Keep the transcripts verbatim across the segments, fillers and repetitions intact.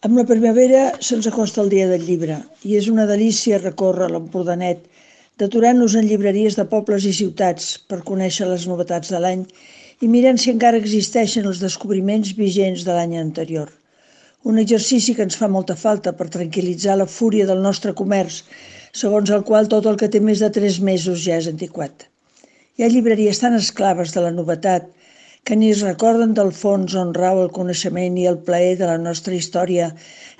Amb la primavera se'ns acosta el dia del llibre i és una delícia recórrer l'Empordanet, deturant-nos en llibreries de pobles i ciutats per conèixer les novetats de l'any i mirant si encara existeixen els descobriments vigents de l'any anterior. Un exercici que ens fa molta falta per tranquil·litzar la fúria del nostre comerç, segons el qual tot el que té més de tres mesos ja és antiquat. Hi ha llibreries tan esclaves de la novetat que ni es recorden del fons on rau el coneixement i el plaer de la nostra història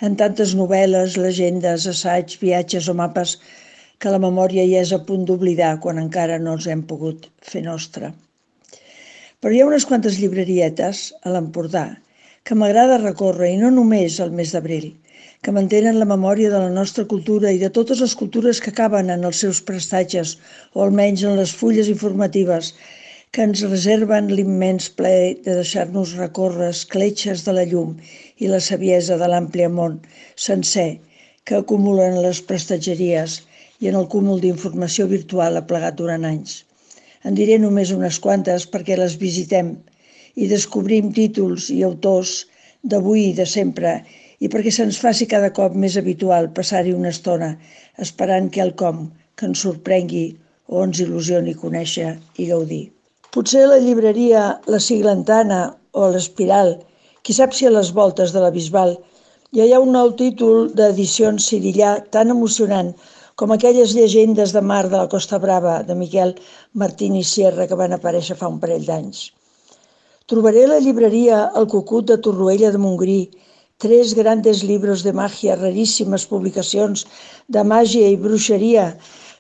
en tantes novel·les, llegendes, assaigs, viatges o mapes que la memòria ja és a punt d'oblidar quan encara no els hem pogut fer nostra. Però hi ha unes quantes llibrerietes a l'Empordà que m'agrada recórrer, i no només al mes d'abril, que mantenen la memòria de la nostra cultura i de totes les cultures que caben en els seus prestatges, o almenys en les fulles informatives, que ens reserven l'immens plaer de deixar-nos recórrer escletxes de la llum i la saviesa de l'àmplia món sencer que acumulen les prestatgeries i en el cúmul d'informació virtual aplegat durant anys. En diré només unes quantes perquè les visitem i descobrim títols i autors d'avui i de sempre i perquè se'ns faci cada cop més habitual passar-hi una estona esperant quelcom que ens sorprengui o ens il·lusioni conèixer i gaudir. Potser a la llibreria La Siglantana o l'Espiral, qui sap si a les voltes de la Bisbal, ja hi ha un nou títol d'edicions Cirillà tan emocionant com aquelles llegendes de mar de la Costa Brava de Miquel Martín i Sierra que van aparèixer fa un parell d'anys. Trobaré a la llibreria El Cucut de Torroella de Montgrí tres grandes libros de magia, raríssimes publicacions de màgia i bruixeria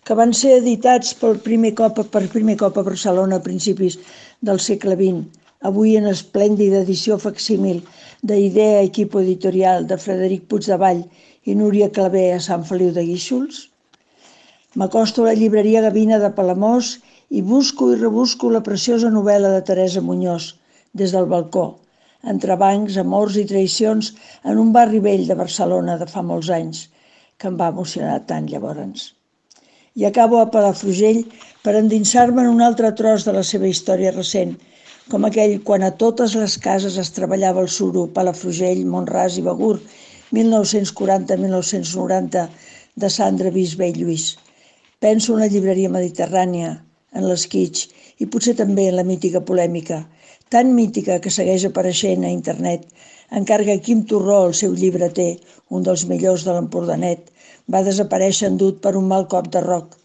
que van ser editats per primer cop, per primer cop a Barcelona a principis del segle vint, avui en esplèndida edició facsímil d'Idea Equipo Editorial de Frederic Puigdevall i Núria Clavé a Sant Feliu de Guíxols. M'acosto a la llibreria Gavina de Palamós i busco i rebusco la preciosa novel·la de Teresa Muñoz, Des del balcó, entrebancs, amors i traïcions en un barri vell de Barcelona de fa molts anys, que em va emocionar tant llavors. I acabo a Palafrugell per endinsar-me en un altre tros de la seva història recent, com aquell quan a totes les cases es treballava el suro, Palafrugell, Mont-ras i Begur, mil nou-cents quaranta a mil nou-cents noranta, de Sandra Bisbé i Lluís. Penso en la llibreria mediterrània, en l'esquitx i potser també en la mítica polèmica, tan mítica que segueix apareixent a internet, encara que Quim Torró, el seu llibreter, un dels millors de l'Empordanet, va desaparèixer endut per un mal cop de roc,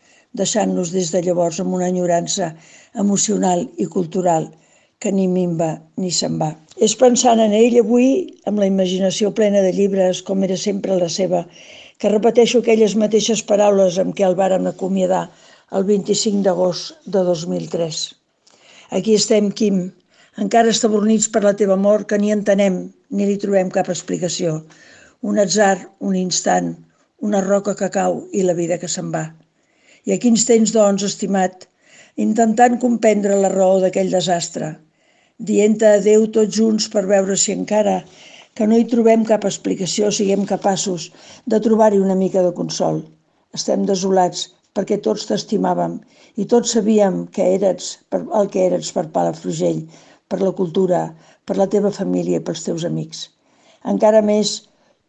deixant-nos des de llavors amb una enyorança emocional i cultural que ni minva ni se'n va. És pensant en ell avui, amb la imaginació plena de llibres, com era sempre la seva, que repeteixo aquelles mateixes paraules amb què el vàrem acomiadar el vint-i-cinc d'agost de dos mil tres. Aquí estem, Quim, encara estabornits per la teva mort que ni entenem ni li trobem cap explicació. Un atzar, un instant, una roca que cau i la vida que se'n va. I aquí ens tens, doncs, estimat, intentant comprendre la raó d'aquell desastre, dient-te adéu tots junts per veure si encara que no hi trobem cap explicació siguem capaços de trobar-hi una mica de consol. Estem desolats perquè tots t'estimàvem i tots sabíem que eres el que eres per Palafrugell, per la cultura, per la teva família i pels teus amics. Encara més,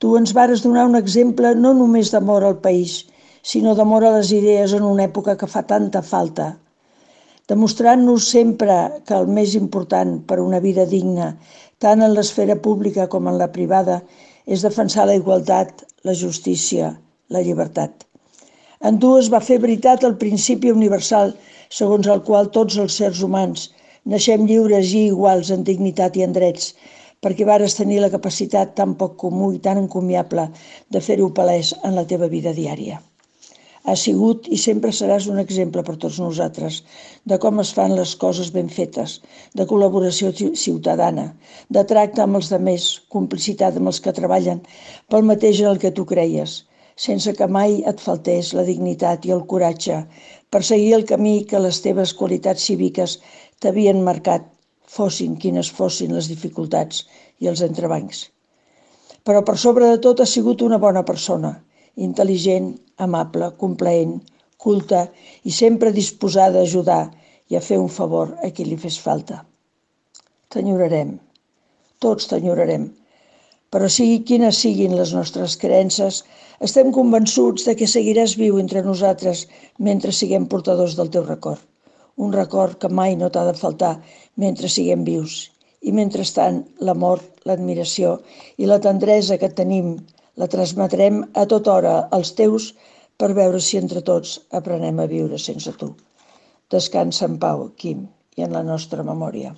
tu ens vares donar un exemple no només d'amor al país, sinó d'amor a les idees en una època que fa tanta falta, demostrant-nos sempre que el més important per a una vida digna, tant en l'esfera pública com en la privada, és defensar la igualtat, la justícia, la llibertat. En tu es va fer veritat el principi universal segons el qual tots els sers humans naixem lliures i iguals en dignitat i en drets, perquè vares tenir la capacitat tan poc comú i tan encomiable de fer-ho palès en la teva vida diària. Has sigut i sempre seràs un exemple per tots nosaltres de com es fan les coses ben fetes, de col·laboració ciutadana, de tracte amb els demés, complicitat amb els que treballen pel mateix en el que tu creies, sense que mai et faltés la dignitat i el coratge per seguir el camí que les teves qualitats cíviques t'havien marcat, fossin quines fossin les dificultats i els entrebancs. Però per sobre de tot has sigut una bona persona, intel·ligent, amable, complaent, culta i sempre disposada a ajudar i a fer un favor a qui li fes falta. T'enyorarem, tots t'enyorarem, Però sigui quines siguin les nostres creences, estem convençuts de que seguiràs viu entre nosaltres mentre siguem portadors del teu record. Un record que mai no t'ha de faltar mentre siguem vius. I mentrestant, l'amor, l'admiració i la tendresa que tenim la transmetrem a tota hora als teus per veure si entre tots aprenem a viure sense tu. Descansa en pau, Quim, i en la nostra memòria.